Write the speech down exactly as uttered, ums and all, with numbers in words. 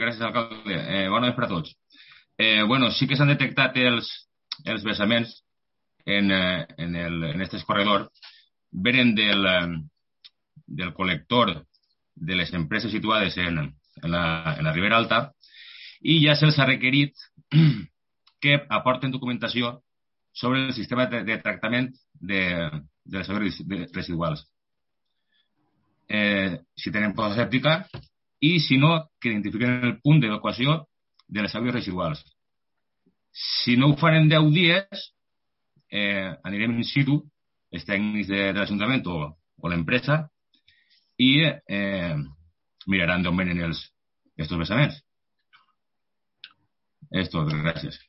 gràcies, alcalde. Eh, bona nit per a tots. Eh, bueno, sí que s'han detectat els, els vessaments en, eh, en, el, en este corredor. Venen del, eh, del col·lector de les empreses situades en, en, la, en la Ribera Alta i ja se'ls ha requerit que aporten documentació sobre el sistema de, de tractament de, de les aigües residuals. Eh, si tenen posa sèptica i, si no, que identifiquen el punt d'evacuació de les aigües residuals. Si no ho fan en deu dies, eh, anirem in situ, els tècnics de, de l'Ajuntament o, o l'empresa, i eh, miraran d'on venen els, estos vessaments. És tot, gràcies.